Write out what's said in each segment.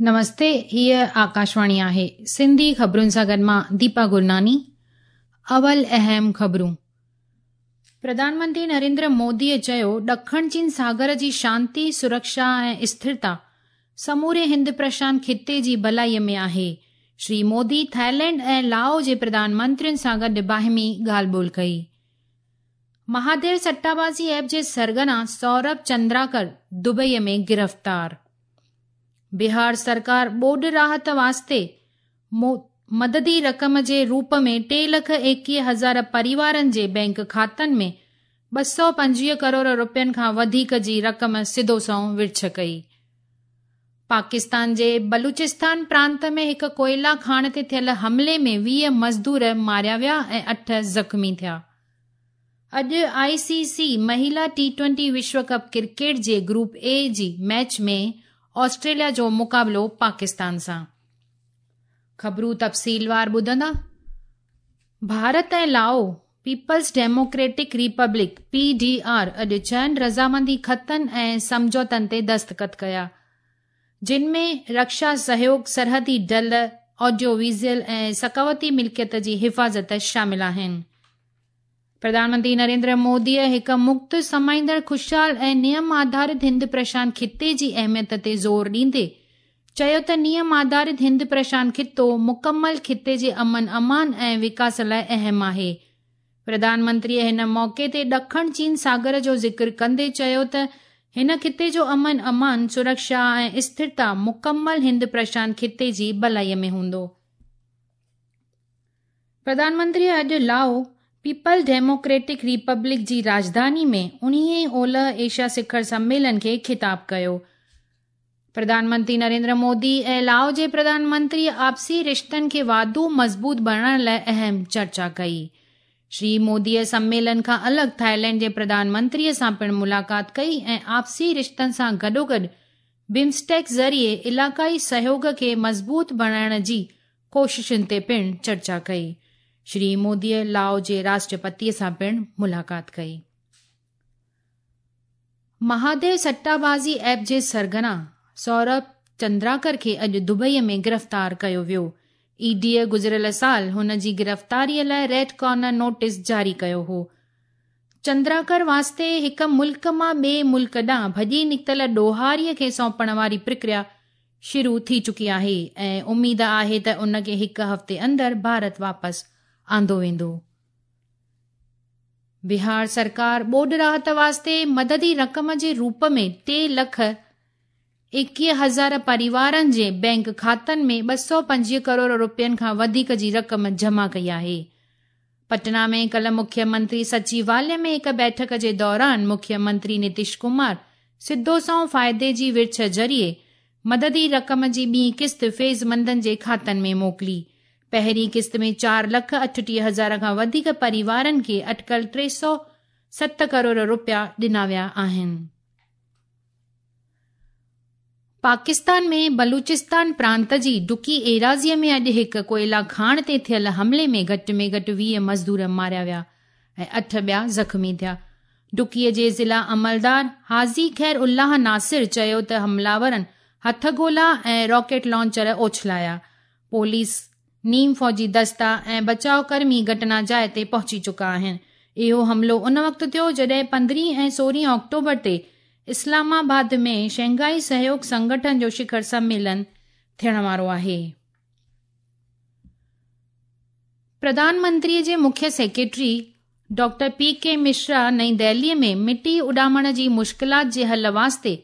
نمستي هيء آڪاشواڻي آهي سنڌي خبرن سان گڏ مان ديپا گرناني اول اهم خبرون پرڌان منتري نريندر موديء چيو ڏکڻ چين ساگر جي شانتي سرڪشا ۽ اسٿرتا سموري هند پرشانت خطي جي ڀلائي ۾ آهي شري مودي ٿائيلينڊ ۽ لائو جي پرڌان منترين سان گڏ باهمي ڳالهه ٻولهه ڪئي مهاديو سٽابازي ايپ جي سرغنا سورڀ چندراڪر دبئي ۾ گرفتار. بهار سرڪار ٻوڏ راحت واسطي مددي رقم جي روپ ۾ ٽي لک 21 هزار پريوارن جي بئنڪ کاتن ۾ 225 ڪروڙ رپين کان وڌيڪ جي رقم سڌو سنئون ورڇ ڪئي. پاڪستان جي بلوچستان پرانت ۾ هڪ ڪوئلا کاڻ تي ٿيل حملي ۾ 20 مزدور ماريا ويا ۽ 8 زخمي ٿيا. اڄ آء سي سي مهيلا ٽي ٽوئنٽي وشو ڪپ ڪرڪيٽ جي گروپ اي جي ميچ ۾ آسٽريليا جو مقابلو پاڪستان سان. خبرون تفصيلوار ٻڌندا. Bharat ۽ Lao People's Democratic Republic, P D R, اڄ ڇهن رضامندي خطن ۽ سمجهوتن تي دستخط ڪيا، جن ۾ رڪشا سهيوگ، سرحدي ڍل، آڊيو ويزوئل ۽ ثقافتي ملڪيت جي حفاظت شامل آهن. پرڌان منتري نريندر موديء هڪ مڪت، سمائيندڙ، خوشحال ۽ نيم آڌارت هند پرشانت خطي جي اهميت تي زور ڏيندي چيو ته نيم آڌارت هند پرشانت خطو مڪمل خطي جي امن امان ۽ وڪاس لاء اهم آهي. پرڌان منتريء هن موقعي تي ڏکڻ چين ساگر جو ذڪر ڪندي چيو ته هن خطي جو امن امان، سرڪشا ۽ اسٿرتا مڪمل هند پرشانت خطي جي ڀلائي ۾ هوندو. پرڌان منتريء اڄ لائو پيپلز ڊيموڪريٽڪ ريپبلڪ جي راڄڌاني ۾ اڻيهين اولهه ايشيا سکر سميلن کي خطاب ڪيو. پرڌان منتري نريندر مودي ۽ لائو جي پرڌان منتريء آپسي رشتن کي واڌو مضبوط بڻائڻ لاء اهم چرچا ڪئي. شري موديء سميلن کان الڳ ٿائيلينڊ جي پرڌان منتريء سان پڻ ملاقات ڪئي ۽ آپسي رشتن سان گڏوگڏ بمسٽيڪ ذريعي علائقائي سهيوڳ کي مضبوط بڻائڻ جي ڪوششن تي پڻ چرچا ڪئي. شري موديء لائو جي راشٽرپتيء سان پڻ ملاقات ڪئي. مهاديو سٽابازي ايپ جي سرغنا سورڀ چندراڪر کي اڄ دبئي ۾ گرفتار ڪيو ويو. اي ڊيء گذريل سال هن جي گرفتاريء لاء ريڊ ڪارنر نوٽيس جاري ڪيو هو. چندراڪر واسطي هڪ ملڪ مان ٻئي ملڪ ڏانهن ڀڄي نڪتل ڏوهاريء کي سونپڻ واري پرڪريا شروع ٿي چڪي آهي ۽ اميد آهي ته ان کي هڪ هفتي اندر ڀارت واپس آندو ويندو. بهار سرڪار ٻوڏ راحت واسطي مددي رقم جي روپ ۾ ٽي لک 21 هزار پريوارن جي بئنڪ کاتن ۾ 225 ڪروڙ رپين کان وڌيڪ جي رقم جمع ڪئي آهي. پٽنا ۾ ڪلهه مکيه منتري سچيواليه ۾ هڪ بيٺڪ جي دوران مکيه منتري نتيش ڪمار سڌو سنئون فائدي جي ورڇ ذريعي مددي رقم جي ٻي قسط فيض مندن جي کاتن ۾ موڪلي. پهرين قسط ۾ چار لک 38 هزار کان وڌيڪ پريوارن کي اٽڪل 307 ڪروڙ رپيا ڏنا ويا آهن. پاڪستان ۾ بلوچستان پرانت جي ڊڪي ايراضيء ۾ اڄ هڪ ڪوئلا کاڻ تي ٿيل حملي ۾ گهٽ ۾ گهٽ 20 مزدور ماريا ويا ۽ اٺ ٻيا زخمي ٿيا. ڊڪيء جي ضلع عملدار حاجي خير الله ناصر چيو ته حمله آورن هٿ گولا ۽ راڪيٽ لانچر اڇلايا. پوليس، نيم فوجي دستا ۽ بچاء ڪرمي گهٽنا جاء تي پهچي چڪا آهن. اهو حملو ان وقت ٿيو جڏهن 15 ۽ 16 آڪٽوبر تي اسلام آباد ۾ شنگهائي سهيوڳ سنگٺن جو شکر سميلن ٿيڻ وارو آهي. پرڌان منتري جي مکيه سيڪريٽري ڊاڪٽر پي ڪي مشرا نئين دهلي ۾ مٽي اڏامڻ جي مشڪلات جي حل واسطي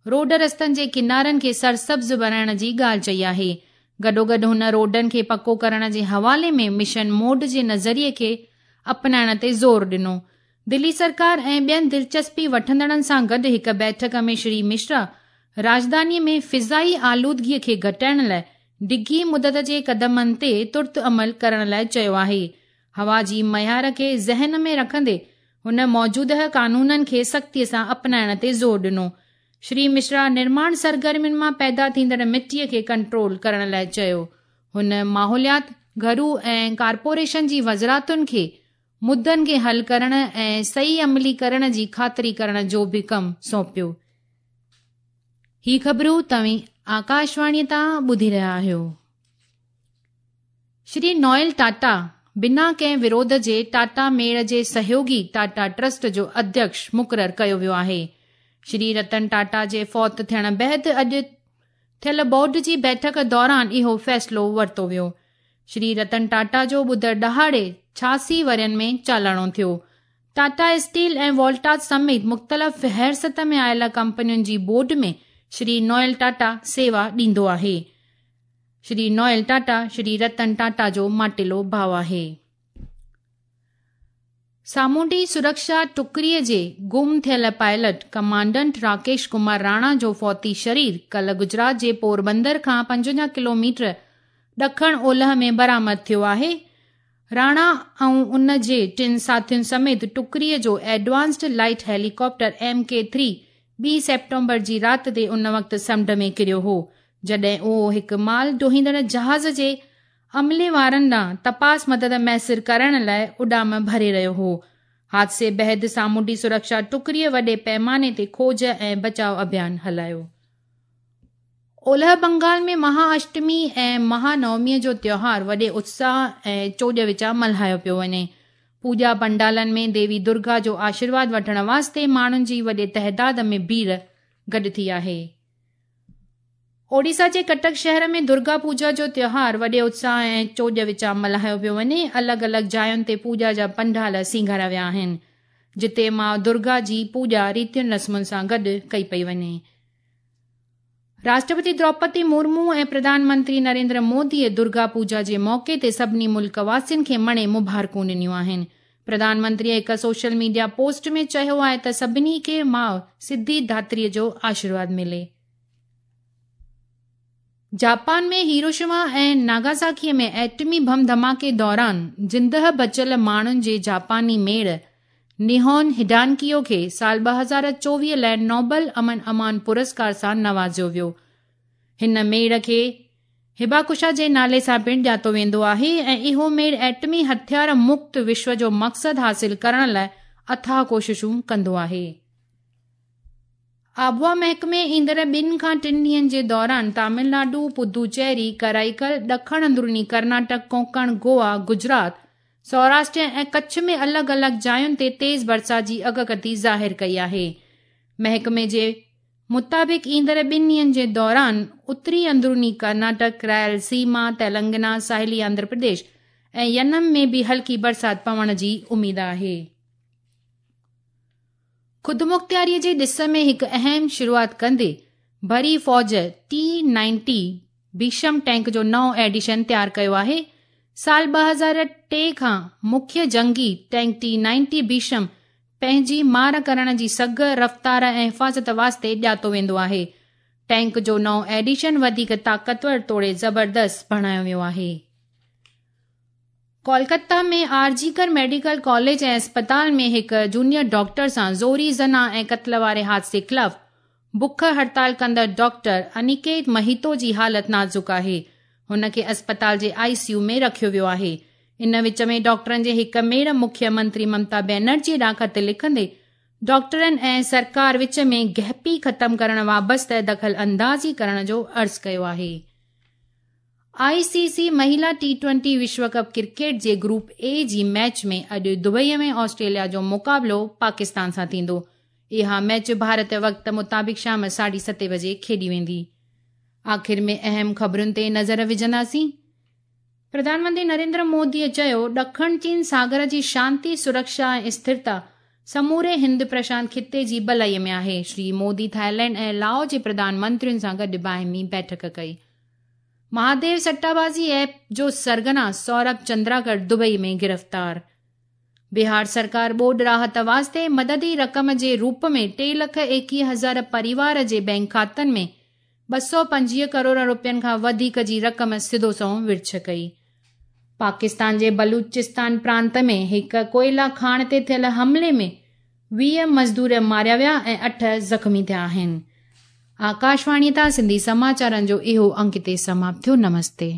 روڊ رستن جي ڪنارن کي سرسبز بڻائڻ جي ڳالهه چئي آهي. گڏوگڏ هن روڊن کي پڪو ڪرڻ جي حوالي ۾ مشن موڊ جي نظريي کي اپنائڻ تي زور ڏنو. دلي سرڪار ۽ ٻين دلچسپي وٺندڙن سان گڏ هڪ بيٺڪ ۾ شري مشرا راڄڌاني ۾ فضائي آلودگي کي گهٽائڻ لاء ڊگهي مدت جي قدمن تي ترت عمل ڪرڻ لاء چيو آهي. هوا جي معيار کي ذهن ۾ رکندي هن موجوده قانونن کي سختيء سان اپنائڻ تي زور ڏنو. شري مشرا نرماڻ سرگرمين مان پيدا ٿيندڙ مٽيء کي ڪنٽرول ڪرڻ لاء چيو. هن ماحوليات، گهرو ۽ ڪارپوريشن جي وزارتن کي مدن کي حل ڪرڻ ۽ صحيح عملي ڪرڻ جي خاطري ڪرڻ جو به ڪم سونپيو. هي خبرون توهين آڪاشواڻيء تان ٻڌي رهيا آهيو. شري نوئل ٽاٽا بنا ڪنهن وروڌ جي ٽاٽا ميڙ جي سهيوڳي ٽاٽا ٽرسٽ جو اڌيڪش مقرر ڪيو ويو آهي. شري رتن ٽاٽا جي فوت ٿيڻ بعد اڄ ٿيل بورڊ جي بيٺڪ دوران اهو فيصلو ورتو ويو. شري رتن ٽاٽا جو ٻڌر ڏهاڙي 86 ورهين ۾ چالاڻو ٿيو. ٽاٽا اسٽيل ۽ وولٽاس سميت مختلف فهرست ۾ آيل ڪمپنين جي بورڊ ۾ شري نوئل ٽاٽا سيوا ڏيندو آهي. شري نوئل ٽاٽا شري رتن ٽاٽا جو ماٽيلو ڀاء آهي. سامونڊي سرڪشا ٽڪري جي گم ٿيل پائلٽ ڪمانڊنٽ راڪيش ڪمار راڻا جو فوتي شرير ڪلهه گجرات جي پوربندر کان 55 ڪلوميٽر ڏکڻ اولهه ۾ برآمد ٿيو آهي. راڻا ۽ ان جي ٽن ساٿين سميت ٽڪري جو advanced light helicopter M K three ٻي سيپٽمبر جي رات تي ان وقت سمنڊ ۾ ڪريو هو، جڏهن اهو هڪ مال ڍوئيندڙ جهاز جي عملي وارن ڏانهن تپاس مدد ميسر ڪرڻ لاء اڏام ڀري رهيو هو. حادثي بعد سامونڊي سرڪشا ٽڪري وڏي پيماني تي کوج ۽ بچاء اڀيان هلايو. اولهه بنگال ۾ مها اشٽمي ۽ مها نوميء جو تيوهار وڏي اتساهه ۽ چوڄ وچان ملهايو پيو وڃي. پوڄا پنڊالن ۾ ديوي درگا جو آشيرواد وٺڻ واسطي ماڻهن جي وڏي تعداد ۾ ڀيڙ گڏ ٿي آهي. اوڙيسا جي ڪٽڪ شهر ۾ درگا پوڄا جو تيوهار وڏي اتساهه ۽ چوڄ وچان ملهايو پيو وڃي. الڳ الڳ جاين تي پوڄا جا پنڊال سينگاريا ويا آهن، جتي ماء درگا جي پوڄا ريتين رسمن سان گڏ ڪئي پئي وڃي. راشٽرپتي دروپدي مرمو ۽ پرڌان منتري نريندر موديء درگا پوڄا جي موقعي تي سڀني ملڪ واسين کي مڻي مبارڪون ڏنيون آهن. پرڌان منتريء هڪ سوشل ميڊيا پوسٽ ۾ چيو آهي ته سڀني کي ماء سڌي ڌاتريء جو آشيرواد ملي. جاپان ۾ هيروشيما ۽ ناگاساڪيء ۾ ايٽمي بم ڌماڪي دوران زندهه بچيل ماڻهن جي جاپاني ميڙ نيهون هڊانڪيو کي سال 2024 لاء نوبل امن امان پرسڪار سان نوازيو ويو. هن ميڙ کي هباڪوشا جي نالي سان پڻ ڄاتو ويندو آهي ۽ اهو ميڙ ايٽمي هٿيار مڪت وشو جو مقصد حاصل ڪرڻ لاء اٿاهه ڪوششون ڪندو آهي. آبهوا محڪمي ايندڙ ٻن کان ٽن ڏينهن جي دوران تامل ناڊو، پدوچيري، ڪرائيڪل، ڏکڻ اندروني ڪرناٽڪ، ڪونڪڻ، گوا، گجرات، سوراشٽر ۽ ڪڇ ۾ الڳ الڳ جاين تي تيز برسات جي اڳڪٿي ظاهر ڪئي آهي. محڪمي جي مطابق ايندڙ ٻن ڏينهن جي دوران اتري اندروني ڪرناٽڪ، رائل سيما، تيلنگنا، ساحلي آنڌرا پرديش ۽ ينم ۾ به هلڪي برسات پوڻ جي اميد آهي. خودمختياري جي ڏس ۾ هڪ اهم شروعات ڪندي بري فوج ٽي نائنٽي ڀيشم ٽينڪ جو نئون ايڊيشن تيار ڪيو آهي. سال 2003 کان مکيه جنگي ٽينڪ ٽي نائنٽي ڀيشم پنهنجي مار ڪرڻ جي سگهه، رفتار ۽ حفاظت واسطي ڄاتو ويندو آهي. ٽينڪ جو نئون ايڊيشن وڌيڪ طاقتور توڙي زبردست بڻايو ويو آهي. Kolkata ۾ R G Kar medical college ۽ اسپتال ۾ هڪ جونيئر ڊاڪٽر سان زوري زنا ۽ قتل واري حادثي خلاف بک هڙتال ڪندڙ ڊاڪٽر انيڪيت مهيتو جي حالت نازڪ آهي. هن کي اسپتال جي آء سي يو ۾ رکيو ويو آهي. ان وچ ۾ ڊاڪٽرن جي هڪ ميڙ مکيه منتري ممتا بينرجي ڏانهن خط لکندي ڊاڪٽرن ۽ سرڪار وچ ۾ گهپي ختم ڪرڻ وابسته دخل اندازي ڪرڻ جو عرض ڪيو آهي. آء سي سي مهيلا ٽي ٽوئنٽي وشو ڪپ ڪرڪيٽ جي گروپ اي جي ميچ ۾ اڄ دبئي ۾ آسٽريليا جو مقابلو پاڪستان سان ٿيندو. اها ميچ ڀارت وقت مطابق شام ساڍي ستين بجي کيڏي ويندي. آخر ۾ اهم خبرن تي نظر وجهنداسين. پرڌان منتري نريندر مودي چيو، ڏکڻ چين ساگر جي شانتي، سرڪشا ۽ اسٿرتا سموري هند پرشانت خطي جي ڀلائي ۾ آهي. شري مودي ٿائيلينڊ ۽ لائو جي پرڌان منترين سان گڏ باهمي بيٺڪ ڪئي. مهاديو سٽابازي ايپ جو سرغنا سورڀ چندراڪر دبئي ۾ گرفتار. بهار سرڪار ٻوڏ راحت واسطي مددي رقم جي روپ ۾ ٽي لک 21 هزار پريوار جي بئنڪ کاتن ۾ 225 ڪروڙ روپين کان وڌيڪ جي رقم سڌو سنئون ورڇ ڪئي. پاڪستان جي بلوچستان پرانت ۾ هڪ ڪوئلا کاڻ تي ٿيل حملي ۾ 20 مزدور ماريا ويا ۽ 8 زخمي ٿيا آهن. آڪاشواڻيء تان سنڌي سماچارن جو اهو انڪ هتي سماپت ٿيو. نمستي.